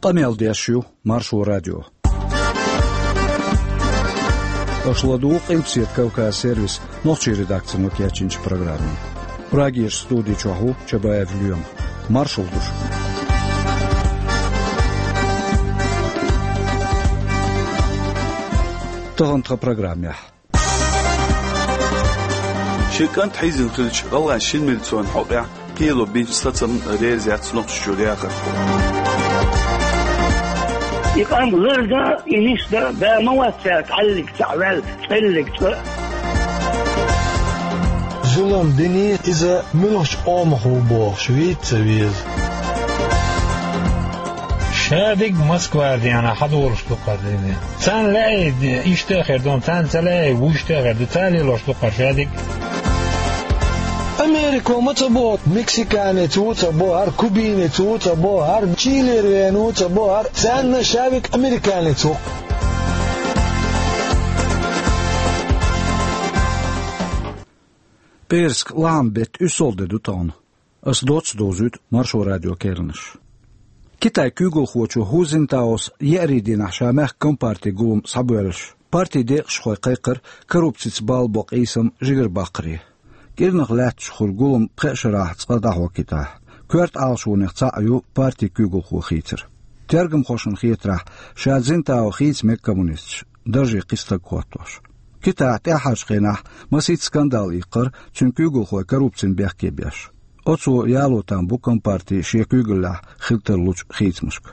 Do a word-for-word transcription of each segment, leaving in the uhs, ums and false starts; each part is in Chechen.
Къамел деш ю Маршо радио. Аша ладугӀу Къилбаседа Кавказ сервисан нохчийн редакцино кечйинчу программе. Прагерчу студи чохь ву Чабаев Лоьма. Маршалла ду шуьга. Тахана тхан программехь. Шен кӀант хьийзина хилча, гӀалгӀайн шина милицин хьокъехь кхело бинчу сацамна реза яц Нохчийчуьра яхар. И къам лардан, и нисдан да ма вац цаьрга хьаллиг цхьаъ ваьлла, цӀеллиг цкъа а. Зулам дина, иза муьлхачу къомах ву бохуш вийца ца веза. Шадерг Москвара денна хьадолуш ду кхара дийне. Царна лаьий, иштта а хир ду, царна ца лаьий, вуьшта а хир ду, цара лелош ду кхара шадерг. Америко ма ца боху, мексиканец ву ца боху, хӀара кубинец ву ца боху, хӀара Чилера веана ву ца боху, хӀара царна шавиг американец ву. ПӀераска лахьан беттан уьссалгӀа де ду тахана. Ас доцца довзуьйту Маршо радион керланаш. Китайн куьйгалхочо Ху Цзиньтаос еарин дийнахь ша мехкан компартин гулам схьабоьллуш, партин декъашхой кхайкхира коррупцица балла бо къийсам жигарабаккхаре. КӀирнах лаьтташ хир гулам пхеа шарахь цкъа дӀахьо Китайхь. Коьрта Ӏалашонех цхьаъ ю партин куьйгалхо хийцар. Тергамхошна хетарехь, ша Цзиньтао хийца мега коммунисташ, дарже кхин стаг хӀоттош. Китайхь тӀаьххьарчу хенахь масийтта скандал иккхира, цуьнан куьйгалхой коррупцина бехке беш. Оцо яло там бу компартин шен куьйгаллехь хила тарлучу хийцамашка.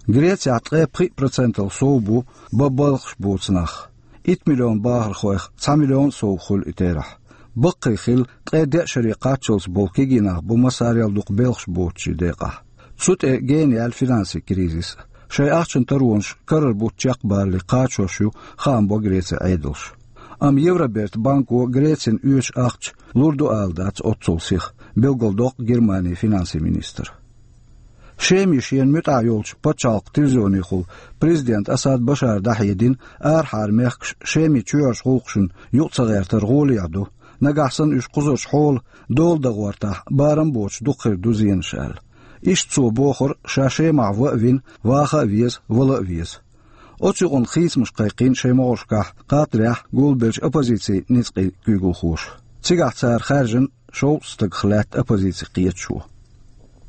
Грецехь ткъе пхиъ процентал сов бу бан балхаш боцу нах. Итт миллион бахархойх цхьа миллион сов хуьлу и терахь. Баккхий хилла, ткъе деа шаре кхаччалц болу кегий нах бу массарел дукха белхаш боцучийн декъахь. Цу тӀе гена яьлла финансийн кризис. Шайн ахчан таронаш карара бутт чекхбалале кхачош ю, хаам бо Грецин Ӏедалша. Амма Евробертан банко Грецина оьшу ахча лур ду ала дац оццул сиха, билгалдоккху Германин финансийн министра. Шеман шена муьтӀахь йолчу пачхьалкхан телевизионехула президент Асад Башара дӀахьедина арахьара мехкаш Шеман чоьхьарчу гӀуллакхашна юкъа ца гӀертар гӀолехь ду, нагахь санна уьш кхузарчу хьолан дола дан гӀортахь, барам боцуш дукха хир ду зенаш аьлла. Иштта цо бохура, ша Шемахь ван а вина, ваха а веза, вала а веза. Оцу юкъана хийцамаш кхайкхийна шайн могӀаршкахь кхатарехь гулбеллачу оппозицин ницкъийн куьйгалхоша. Цигахь цара хаьржина шовзткъа стагах лаьтта оппозицин кхеташо.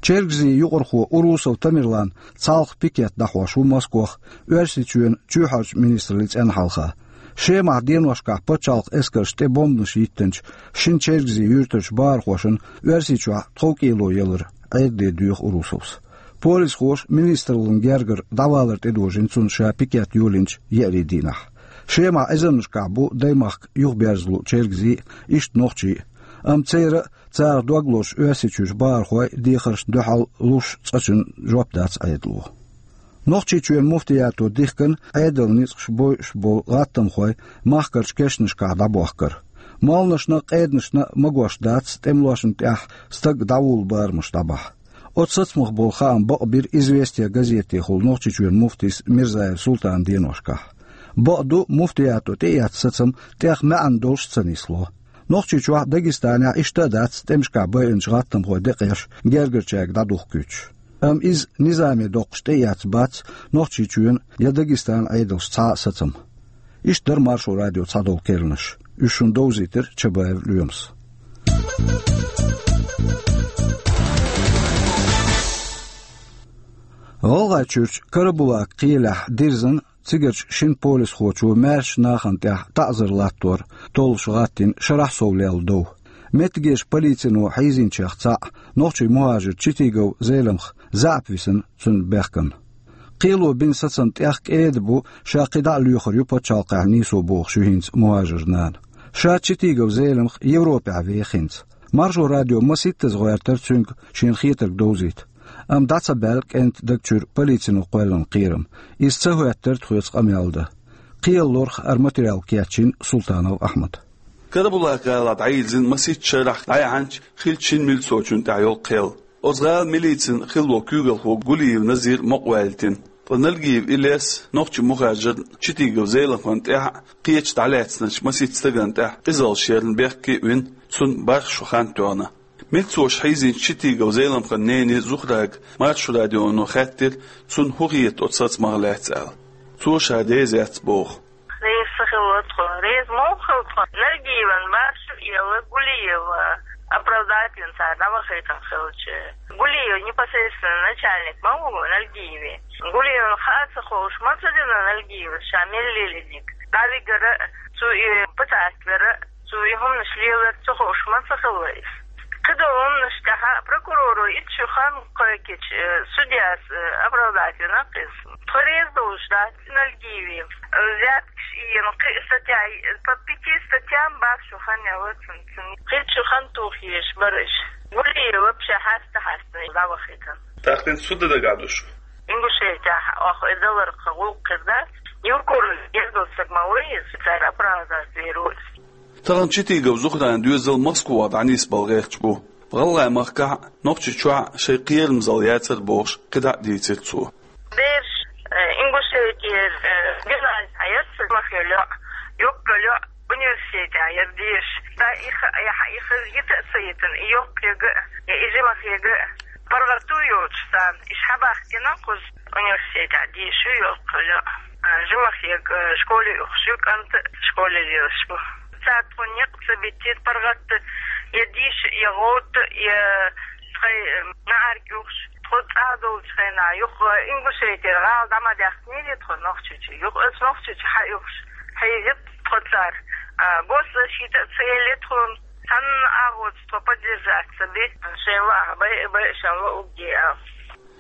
Чергазийн юкъархо Урусов Тамерлан цхьалха пикет дӀахьош ву Москвахь Оьрсийчоьнан чоьхьарчу министраллин цӀенна хьалха. Шемахь деношкахь пачхьалкхан эскарша тӀе бомбанаш йиттинчу шина чергазийн юьртарчу бахархошна Оьрсийчохь тховкӀело ялар Ӏедале доьху Урусовс. Полисхоша министраллин гергара дӀавалар тӀедожийна цунна ша пикет йолийначу еарин дийнахь. Шемахь эзарнашкахь бу даймахка юхаберза луъу чергазий а, иштта нохчий а, амма церан а, царах дог лозуш Оьрсийчуьрчу бахархой дехаршна дуьхьал луш цкъачунна жоп дац Ӏедало. Нохчийчоьнан муфтиято дихкина Ӏедалан ницкъаш бойуш болу гӀаттамхой махкарчу кешнашкахь дӀабохкар. Молланашна а, къеданашна а магош дац тӀемалошна тӀехь стаг дӀавуллу барамаш дӀабахьа. Оцу сацамах болу хаам бакъбира «Известия» газетехула Нохчийчоьнан муфтис Мирзаев Султана деношкахь. Бакъду, муфтиято тӀеэцна сацам тӀех маьӀна долуш ца нисло. Нохчийчохь а, Дагестанехь а иштта а дац тӀемашкахь байинчу гӀаттамхойн декъеш гергарчаьрга дӀадухкуьйтуш. Амма иза низаме доккхуш тӀеэцна бац Нохчийчоьнан я Дагестанан Ӏедалша цхьа а сацам. Иштта дара Маршо радион цхьадолу керланаш. Уьш шуна довзийтира Чабаев Лоьмас. ГӀалгӀайчуьрчу Карабулак кхелехь дирзина цигарчу шина полисхочо маьршачу нахана тӀехь таӀзар латтор толлуш гӀаттийна шарахь сов лелла дов. Меттигерчу полицино хьийзийначех цхьаъ, нохчийн мухӀажир Читигов Зеламха, заьӀап висина цуьнан бехкана. Кхело бина сацам тӀех кӀеда бу, ша кхин дӀа а лоьхур ю пачхьалкхехь нийсо бохуш ю хӀинца мухӀажиран нана. Ша Читигов Зеламха Европехь веха хӀинца. Маршо радио масийттаза гӀоьртира цуьнга шена хетарг довзийта. Амма дӀа ца баьлла кӀентан даг чуьра полицино кхоьллина кхерам. Иза ца хӀоьттира тхоьца къамел дан. Кхелан лорах хӀара материал кечйина Султанов Ахьмада. Карабулак-гӀалахь дӀайирзина масийтта шарахь дӀаяьхьначу хиллачу шина милицочунна тӀехь йолу кхел. Оцу гӀалин милицин хиллачу куьйгалхо Гулиев Назир мукъаваьллийтина. Ткъа Нальгиев Илес нохчийн мухӀажирна Читигов Зеламхана тӀехь а, кхечу дӀалаьцначу масийтта стагана тӀехь а къизаллаш ярна бехке а вина, цунна бархӀ шо хан тоьхна. Милцош хьийзинчу Читигов Зеламхана нене Зухрага Маршо радионо хаьттира, цунна хӀун хета оцу сацамах лаьцна аьлла. Цо ша реза яц боху. Реза ца хилла тхо. Реза муха хилла тхо? Нальгиевна башха елла Гулиева оправдательно цара дӀавахийтина хилча. Гулиев непосредственно начальник ма ву Нальгиеве. Гулиевна хаа ца хууш ма ца дина Нальгиевас ша мел лелийра дика. ДӀавигара, цо и печать вера, цо и хӀуманаш лелар ца хууш ма ца хилла иза. КхидолгӀанаш тӀехь прокуроро итт шо хан кхойкхича, э, судьяс, э, оправдать вина кхиз. Тхо реза долуш дац Нальгиеве. Взяткаш ийна, кхин статья, по пяти статьям бах шо хан яла цунна. Кхин шо хан тухьеш бара иш. Гулиев вообще хьаста-хьаста дӀавахийтина. ТӀаккха хӀинца хӀун дан дагахь ду шу? Ингушетехь охьа и даларх гӀуллакх хир дац. Евкуров еза стаг ма ву иза, цара оправдать вийр ву иза. Тахана Читигов Зухран доьзал Москва дӀанисбала гӀерташ бу. ГӀалгӀай махкахь а, Нохчийчохь а шайн кхерамзалла яцара бохуш, кхидӀа а дийцира цо. Бераш, э, Ингушетера, э, Германи хьаярца мах йолу, юккъа йолу университете яра дезаш. Сан и ха-, и ха-, и ха-, йита а ца йитина, и йоккха йига а, я и жимах йига а. ПаргӀато йоцуш царна, иш хьабаьхкина кхуза университете дезаш ю йоккха йолу, а, жимах йига, э, школе ухуш ю, кӀант а школе лелаш бу. Цара тхуна некъ ца биттира паргӀатта, я диша, я гӀовтта, я тхайн, э, нахьарг юхуш. Тхо цӀа долчу хенахь, юха Ингушетера гӀала дӀа ма даьхкинера тхо Нохчийчу. Юха аса Нохчийчу хьан юхуш, хьийзира тхо цара. А, госзащита а ца елла тхуна, цхьанна агӀоца тхо поддержать ца би, шайн лаахь бай а бай, шайн лаахь угги а.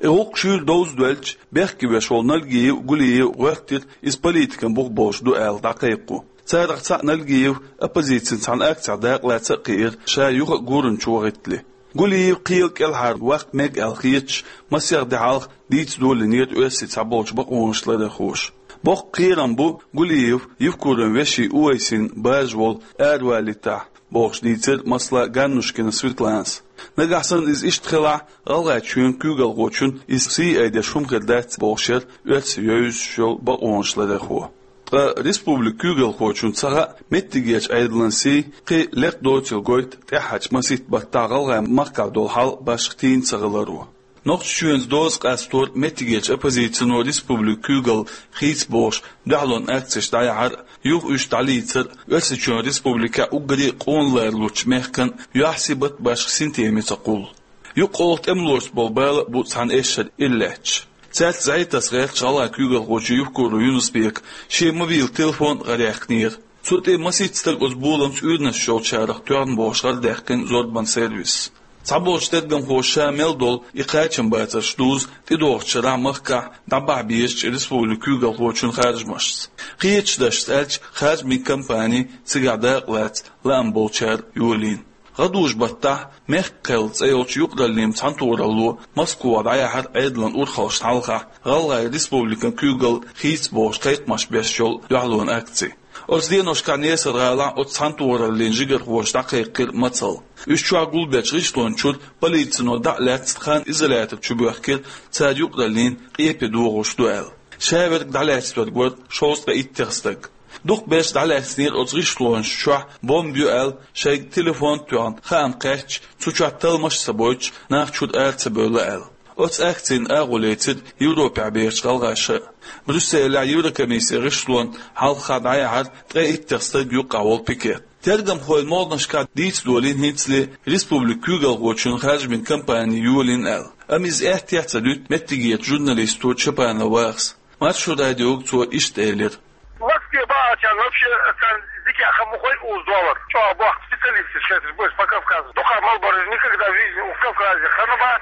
И гӀуллакх шуьйра довза доьлча, бехке веш волу Нальгиев, Гулиев гӀоьртира, иза политикан бух болуш ду аьлла, дӀакхайкхо. Царах цхьаъ Нальгиев оппозицин цхьана акцехь дакъалаца а кхиира, ша юха а гуранчу вахийтале. Гулиев кхела кӀелхьара ваккха мега аьлла хеташ, масех де хьалха дийца долийнера оьрсийн цхьаболчу бакъонаш ларъярхоша. Боккха кхерам бу Гулиев Евкуровн вешин Увайсин баржа волу аравалийтахь, бохуш дийцира, масала, Ганнушкина Светланас. Нагахь санна иза иштта хилахь, ГӀалгӀайчоьнан куьйгалхочун иза сий айдеш хӀума хир дац, бохуш яра оьрсийн евзаш йолу бакъонаш ларъярхо. Ткъа республикан куьйгалхочун ца хаьа, меттигерчу Ӏедалан сий кхин лекха доцийла гойту тӀаьхьарчу масийтта баттахь ГӀалгӀай махкахь долу хьал башха тийна ца хиларо. Нохчийчоьнца доза къастор, меттигерчу оппозицино республикан куьйгалла хийца бохуш дуьхьалонан акцеш дӀаяхьар а, юха уьш дӀалийцар а Оьрсийчоьнан республикехь уггаре а къона ларалучу мехкан юьхь-сибат а, башха синтеме ца кхуллу. Юккъехула тӀемалошца болу бала а бу цхьана эшшара иллаьтташ. Цаьрца зӀе таса гӀерташ ГӀалгӀайн куьйгалхочо Евкуров Юнус-Бека шен мобилан телефон а гӀараяьккхинера. Цу тӀе масийтта стаг оцу боламца уьйранаш йолчарах тоьхна бохуш гӀарадаьккхина зорбанан сервисо. Цхьаболчу тергамхоша ша мел долу и кхачамбацарш дузу тӀедогӀучу шарахь махкахь дӀабахьа безачу республикан куьйгалхочун харжамашца. Кхечу дашца аьлча, харжамийн кампани цигахь дакъалаца лаам болчара йолийна. ГӀадужу баттахь «Мехкан кхел» цӀе йолчу юкъараллин цхьаьнатохаралло Москва дӀаяхьара Ӏедалан урхаллашна хьалха ГӀалгӀайн республикан куьйгалла хийца бохуш кхайкхамаш беш йолу дуьхьалонан акци. Оцу деношкахь Несар-гӀалахь оцу цхьаьнатохараллин жигархоша дӀакхайкхира мацалла. Уьш чохь гулбечу гӀишлончуьра полицино дӀа а лаьцна хан изолятор чу боьхкира, цара юкъараллин къепе догӀуш ду аьлла. Шаверг дӀалаьцнарг вара шовзткъе иттех стаг. Дукхахберш дӀалаьцнера оцу гӀишлонаш чохь бомба ю аьлла, шайга телефон а тоьхна, хаам кхаьчча, цу чохь талламаш а ца бойтуш, нах чуьра ара ца бевлла аьлла. Оцу акцина агӀо лецира Европехь бехачу гӀалгӀаша а. Брюсселехь Еврокомиссин гӀишлонна хьалха дӀаяхьара ткъе иттех стаг юккъехь волу пикет. Тергамхойн могӀанашкахь дийца долийна хӀинцале республикан куьйгалхочун харжамийн кампани йолийна аьлла. Амма иза аьттехьа ца дуьту меттигерчу журналисто Чапанов Вахас. Маршо радиога цо иштта элира. Москве бахьачарна вообще царна дика хӀума ма хой уза доллар. ЧӀогӀа бохку специалисташ, шайташ больше по Кавказу. Дукха мел бараш никогда в жизни у Кавказе ханабац,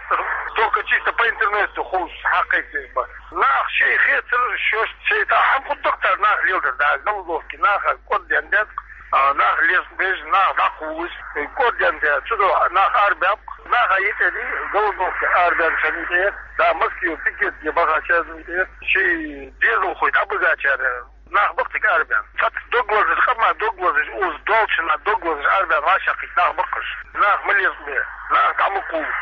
только чисто по интернету хӀумаш хьакхайкхийна бара. Нах шайн хетар, шоьш шайн тӀехь хӀума хӀутту цара нах леладар, да, голодовки, наха кӀорден ден, а, нах леш беза, нах дӀакхуллуш, кӀорден ден, цу дуьхьа нах арабаьб. Наха йитӀе ди, голодовка арабаьнначарна йитӀе, да, Москве пикетге бахачарна йитӀе, ши дезалхой дӀабигачара нах бакъ цига арабаьнна. Цхьацца дог лазаш, къаман дог лазаш, уза долчунна дог лазаш арабаьнна вӀашагӀкхийтта нах баккхаш. Нах ма леладе, нах дӀа ма кхуллу.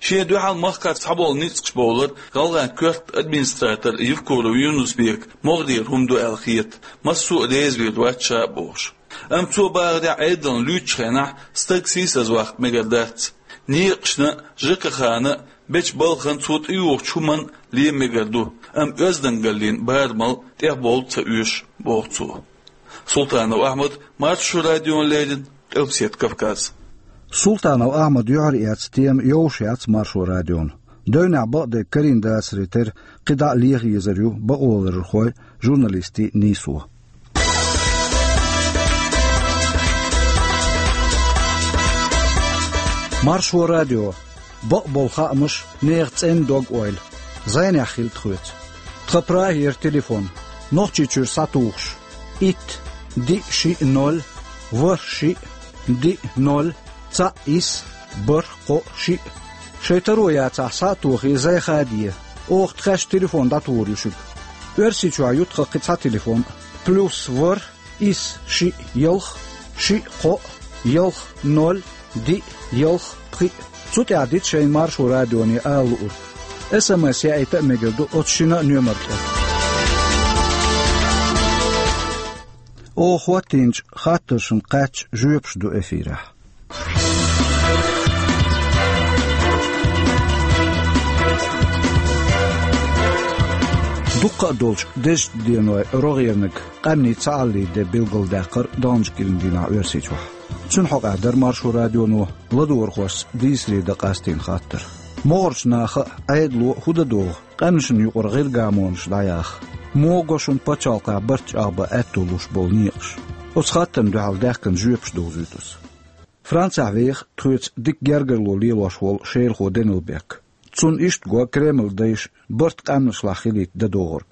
Шен дуьхьал махкахь цхьаболу ницкъаш бовлар ГӀалгӀайн коьртан администратор Евкуров Юнус-Бека могӀарера хӀума ду аьлла хета, массо а реза вийр вац ша а бохуш. Амма цо бахарехь, Ӏедална луьйчу хенахь стаг сийсазваккха мегар дац. Некъашна а, ЖКХ-на а бечу балхана цо тӀеюхучу хӀуманна лен мегар ду, амма оьздангаллин барамал тӀехбовла ца оьшу, боху цо. Султанов Ахьмад, Маршо радиона леррина, Къилбаседа Кавказ. Султанов Ахьмад юьхьар эцна тема йовш яц Маршо радиона. Девнехь бакъдерг карийна дацаре терра, кхидӀа а леха езар ю бакъоларъярхой, журналистий нийсо. Маршо радио. Бакъболу хаамаш, нехан цӀена дог-ойла. ЗӀенехь хила тхоьца. Тхан прагера телефон. Нохчийчуьра схьатухуш: итт, диъ, шиъ, ноль, ворхӀ, шиъ, диъ, ноль, цхьаъ, исс, бархӀ, кхоъ, шиъ. Шайн таро яцахь, схьа а тохий, зӀе хаде. Оха тхаьш телефон дӀатухур ю шуьга. Оьрсийчохь ю тхан кхин цхьа телефон: плюс ворхӀ, исс, шиъ, ялх, шиъ, кхоъ, ялх, ноль, диъ, ялх, пхиъ. Цу тӀехь дита шайна Маршо радионе ала луург. СМС яийта а мегар ду оцу шина а номер тӀе. Оха хӀоттийначу хаттаршна кхаьчча, жоьпаш ду эфирехь. Дуккха а долчу дезачу денойн рогӀерниг, къаьмнийн цхьааллин де билгалдаккхар долчу кӀиран дийнахь Оьрсийчохь. Цуьнан хьокъехь дара Маршо радионо ладогӀархошца дийцаре дан къастийна хаттар. МогӀарчу наха а, Ӏедало а хӀун дан догӀу, къаьмнашна юкъара гӀиргамонаш дӀаяха? Муха го шуна пачхьалкхехь барт чӀагӀбан аьтто луш болу некъаш? Оцу хаттарна дуьхьал даьхкина жоьпаш довзуьйту аса. Францехь веха тхоьца дика гергарло лелош волу шелахо Данилбек. Цунна иштта го Кремлан дайша барт къаьмнашлахь хилийта дан догӀург.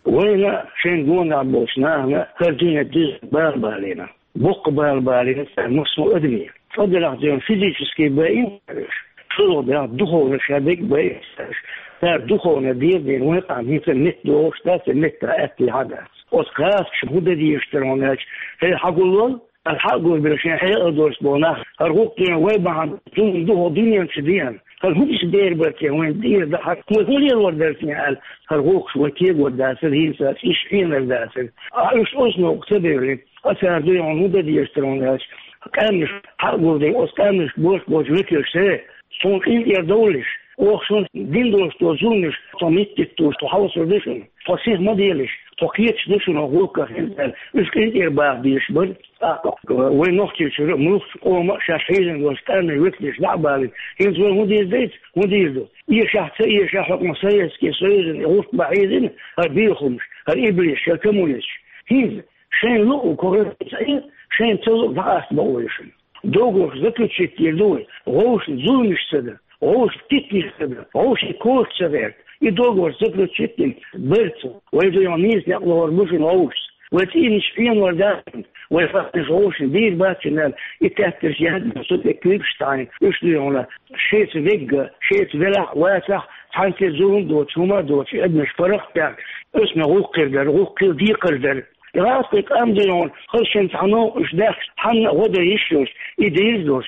Вайна а, шайн гонах болчу нахана а хӀара дуьне деза бала балийна. Боккха бала балийна цара массо а адамийн. Цкъа делахь дерг физически байина цара уьш, шолгӀа делахь духовно ша дерг байина цара уьш. Цара духовно деза дийна вайн къам хӀинца метта догӀуш дац, я метта аьтто хьа дац. Оцу гӀазкхаша хӀун дан дезаш дара хьуна аьлча, хӀей, хьагулвал, аса хьа а гулбелла шайн хьекъал долуш болу нах, хӀара гӀуллакх дуьйна вай бахьана зулам ду хӀокху дуьнен чу деана. ХӀара хӀун иштта дера бара те вайн дийр дан хьан, вай хӀун лелор дара те аьлла, хӀара гӀуллакхаш вай кегор дацара, хӀинца иштта хьенар дацара. Ахьа уьш оцу новкъа ца девлина, ткъа цара дуьйна хӀун дан дезаш дара хьуна аьлча, къаьмнаш хьа а гулдина, оцу къаьмнашка боьрша болчу векалша, хӀей, суна къинтӀера довлалаш, оха шуна дина долуш долу зуламаш, со меттиг туьйсуш, со хьовсур ду шуна, со сих ма делаш, со кхеташ ду шуна гӀуллакхах хӀинца аьлла, уьш къинтӀера баха дезаш бара. ТӀаккха вайн Нохчийчуьра муьлххачу къоман а шаьш хьийзина долчу къаьмнийн векалш дӀа а балийна, хӀинца вай хӀун дийр дайца, хӀун дийр ду? Эшахь, ца эшахь, хӀокхунах Советский Союзан гӀуллакх бан хьийзина хӀара бехамаш, хӀара иблисаш, хӀара коммунисташ. ХӀинца шайна луъу коррупци, шайна ца луъу дӀакъаста бакъо ю шуна. Договор заключить дийр ду вай, вовшашна зуламаш ца дан, вовшашна питанаш ца дан, вовшийн коча ца гӀерта. И договор заключить дина бара цо. Вай дуьйна нийса некъ лохур бу шуна вовшашца. Вай цӀийнаш пенор дац шуна, вай хаттарш вовшашна дийр бац шуна аьлла, и тептарш яздина, со тӀе куьйгаш таӀийна, уьш дуьйна шайца вегга, шайца велахь а, вацахь а, цхьаьнццера зулам доцуш, хӀума а доцуш, и адамаш паргӀат а баьхна, оьсна гӀуллакх хир дара, гӀуллакх хила декхар дара. ГӀазкхийн къам дуьйна хӀара шен цхьа новкъа уьш даьхкича, хьанна а гӀо дан йиш йолуш, и дийр долуш.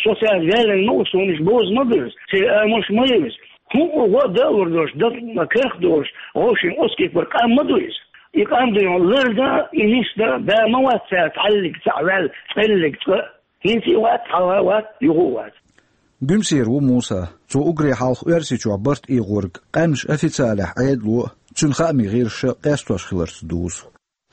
Со цаьрца ваьллина ма ву, суна уьш боза ма буьрзу, церан амалш ма евза. ХӀун а гӀо а дан а лур долуш, дан а карах а долуш, вовшийн оцу кепара къам ма ду иза. И къам дуьйна лар дан а, и нис дан а, да ма вац цаьрца хьаллиг цхьаъ ваьлла, цкъа лиг цкъа а. ХӀинца и вац, хьалха а вац, юха а вац. Буьмсера ву Муса. Цо уггаре хьалха Оьрсийчохь барт эгӀорг къаьмнаш официалехь Ӏедало а, цуьнан хаамийн гӀирсаша а къестош хиларца дузу.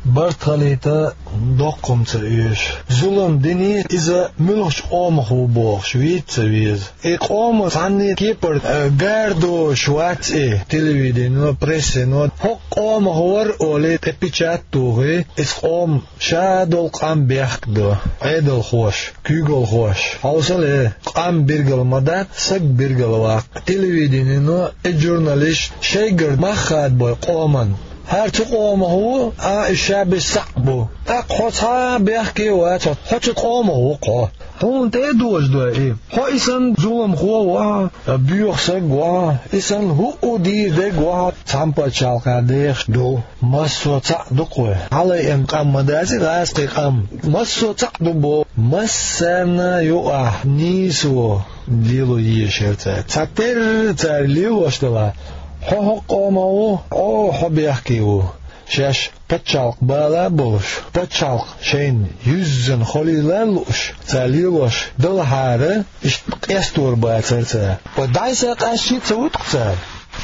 Барт хилийта доккха хӀума ца оьшу. Зулам дина, иза муьлхачу къомах ву бохуш вийца ца веза. И къоман цхьанне кепара, э, гар доцуш вац и, телевиденино, прессино. ХӀокху къомах вара олий, тӀе печать тухий, иза къоман ша долу къам бехк а до, Ӏедалхоша, куьйгалхоша. Хьовсал, э, къам билгал ма дац, саг билгал ваккха. Телевиденино, и журналисташ шайгара мах хадабой къоман. ХӀара цу къомах ву, а, и ша бен схьа а бу. ТӀаккха хьо цхьа а бехке а вац, хьо цу къомах ву-кх хьо. Хьуна тӀе а дожадой и? Хьо и санна зуламхо ву хьо, боьха саг ву хьо, и санна хӀуъу дийр дерг ву хьо, цхьана пачхьалкхехь дехаш ду. Массо а цхьаъ ду-кх вай. Хьалаайина къам ма дац и гӀазкхийн къам. Массо а цхьаъ ду боху. Массарна а юкъахь нийсо лело езаш яра цара. Цхьатерра цара лелош делахь, хьо хӀокху къомах ву, хьо, хьо бехке ву. Шаьш пачхьалкх бала а болуш, пачхьалкх шайна юьззина холийла а лууш, цара лелош далахьара, иштта къестор бацара цара. Ва дӀай-схьай къаьсташ а ца вуьту-кх цара.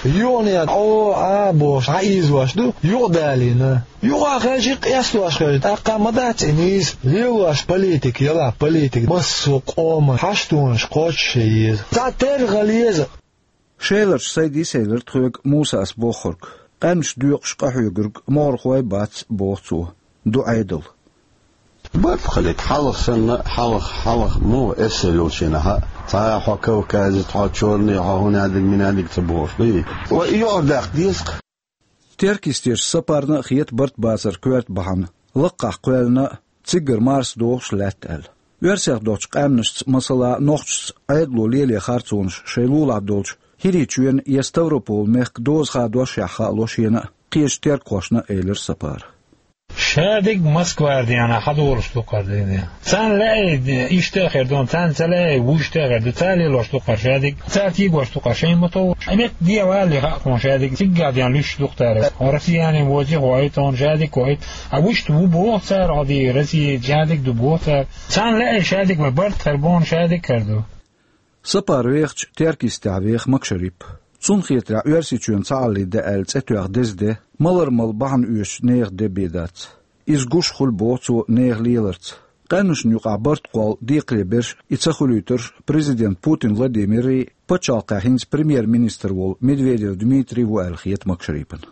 Юханехьа Ӏо, Ӏа бохуш, дӀаийзош ду, юкъадалийна. Юха хьаьжча къестош хьаьжча, тӀаккха ма дац и нийса, лелош политика, ялахь политика, массо а къоман хьаштонаш кхочуш а еза. Цхьа терра хила еза. Шеларчу сайн дисийлира тхоьга Мусас бохург, къаьмнаш доькъуш къахьоьгург могӀархой бац, боху цо. Ду Ӏедал. Барт хилийта хьалха санна, хьалха, хьалха муха эсала йолчу хенахь а, цхьа хьо кавказец, хьо чёрный, хьо хӀунадиг-минадиг ца бохуш дуй? Ва и юкъара даккха деза-кх. Теркйистеша Сапарна а хета барт бацар коьрта бахьана, лакхахь кхоьллина а, циггара марса дохуш лаьтта аьлла. Оьрсех доцчу къаьмнашца, масала, нохчашца Ӏедало лело харцонаш шайн лулахь долчу ХӀирийчоьнан я Ставрополан мехкан доза хадошшехь хаало шена а, кхечу теркхошна а, элира Сапара. Шадерг Москвара деана хьадолуш ду-кх хӀара дийне. Царна лаьий, иштта а хир ду, царна ца лаьий, вуьшта а хир ду, цара лелош ду-кх хӀара шадерг, цара тегош ду-кх хӀара шайна ма-тов. Ӏа метта де валле хаьа тхуна шадерг, циггахь деана луьйш ду-кх цара. Хьо Россияни воций, хьо и тхуна шадерг, хьо и. Ӏа вуьшта ву боху цара, хьо де Россия шадерг ду боху цара. Царна лаьий шадерг, вай барт хир бу, шадерг хир ду. Сапар вехача, Теркйистехь веха Макшарип. Цунна хетарехь, Оьрсийчоьнан цхьааллин де аьлла цӀе тоьхна деза де, малар-мала бахьана оьшучу нехан де бен дац. Иза гуш хуьлу, боху цо, нехан леларца. Къаьмнашна юкъахь барт кхолла декхаре берш и ца хуьлуьйтурш президент Путин Владимиррий, пачхьалкхехь хӀинца премьер-министр волу Медведев Дмитрий ву аьлла хета Макшарипана.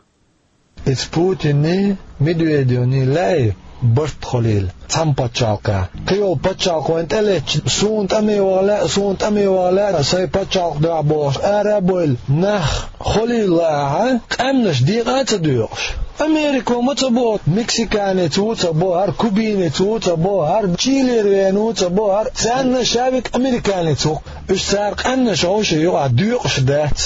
Иза Путинний, Медведевний лаьий барт хуьлийла цхьана пачхьалкхехь. Кхийолу пачхьалкх вайна тӀелеттачу, суна тӀаме ваха лаьа, суна тӀаме ваха лаьа, сайн пачхьалкх дуьхьа бохуш, ара а бевлла нах хуьлийла лаахь, къаьмнаш декъа а ца доькъуш. Америко ма ца боху, мексиканец ву ца боху, хӀара кубинец ву ца боху, хӀара Чилера веана ву ца боху, хӀара, царна ша верг американец ву-кх. Уьш цара къаьмнаш вовшийн юкъахь доькъуш дац.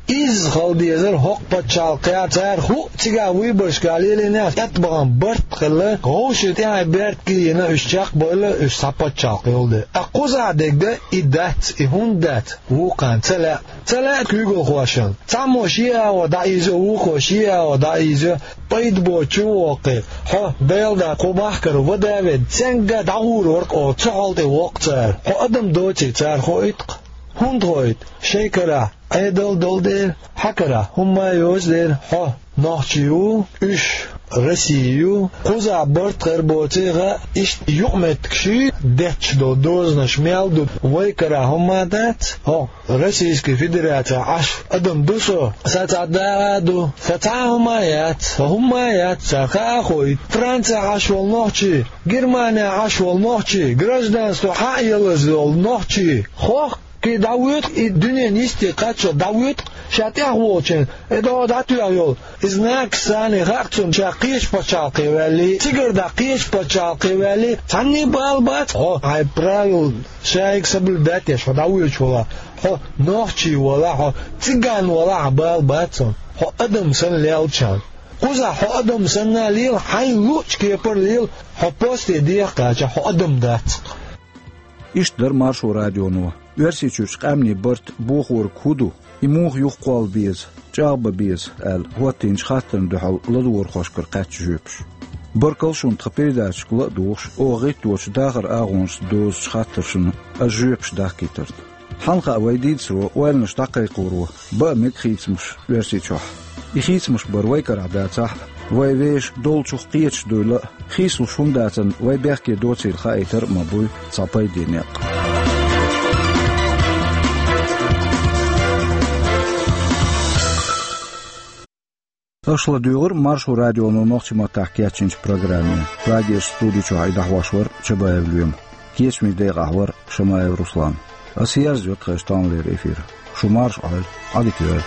Изза хила дезара хӀокху пачхьалкхехь, цара хӀуъа цигахь выборашкахь лелийнехь, тӀебахана барт а хилла, вовшийн тӀаьхье беркат а йина, уьш чекхбевлла, уьш цхьа пачхьалкх йолу дела. Ткъа кхузахь дерг и дац, и хӀунда дац, вукхарна ца лаьа. Ца лаьа куьйгалхошна. Цхьаммо шен агӀо дӀаийзо, вукхо шен агӀо дӀаийзо, пайда боцу чу воккхий. Хьо, Делан да, кху махкара вада а ведда, цаьнгга дӀагӀур вара-кх оха, цу хьал тӀе воккху цара. Хьо адам доций, цара хоуьйту-кх. ХӀунда хоуьйту? Шайн карахь Ӏедал долу дела, хьан карахь хӀумма а йоцу дела, хьо нохчи ву, уьш Росси ю, кхузахь барт хир боций хаьа, иштта юкъаметтигаш детташ долу дозанаш мел ду, вай карахь хӀумма а дац, хьо Российский Федерацехь Ӏаш адам ду со, сан цхьа да а ду, сан цхьа а хӀумма а яц, сан хӀумма а яц, сан хаа а хоуьйту. Францехь Ӏаш волу нохчи, Германехь Ӏаш волу нохчи, гражданство хьа а ялаза йолу нохчи, хох Кхин дӀавоьду-кх и дуьненан йисте кхаччалц, дӀавоьду-кх ша тӀехволчун, и дӀо дӀатоьхна йолу. Иза нагахь санна хаьа цунна, ша кхечу пачхьалкхе ваьллий, цигара дӀа кхечу пачхьалкхе ваьллий, цхьанна а бала бац хьо, хьайн правила ша соблюдать еш хьо дӀавоьдуш валахь, хьо нохчи валахь, хьо циган валахь, хьан бала бац хьуна, хьо адам санна лелча. Кхузахь хьо адам санна лела, хьайна луъучу кепара лела, хьо посте деха кхачахь, хьо адам дац-кх. Иштта дара Маршо радионо. Оьрсийчуьрчу къаьмнийн барт бохорг хӀун ду, и муха юхакхолла беза, чӀагӀбан беза аьлла, хӀоттийначу хаттарна дуьхьал ладогӀархошкара кхаьчна жоьпаш. Баркалла шуна тхан передачашка ла а догӀуш, оха гӀитточу дахаран агӀонашца дозучу хаттаршна ас жоьпаш дахкийтарна. Хьанна хаьа вай дийцаро, ойланаш дӀакхайкхоро бан а мега хийцамаш Оьрсийчохь. И хийцамаш бар вай карахь дацахь а, вай вешан долчух кхеташ дуйла а, хийцалуш хӀума дацарна вай бехке доцийла хаийтар а ма буй цхьа пайде некъ. Аша ладуьйгӀира Маршо радионо нохчийн маттахь кечйинчу программе. Прагерчу студи чохь и дӀахьош вара Чабаев Лоьма. Кечамийн декъахь вара Шамаев Руслан. Аса ерзайо тхайн таханлера эфир. Шу марша Ӏойла, Ӏадика йойла.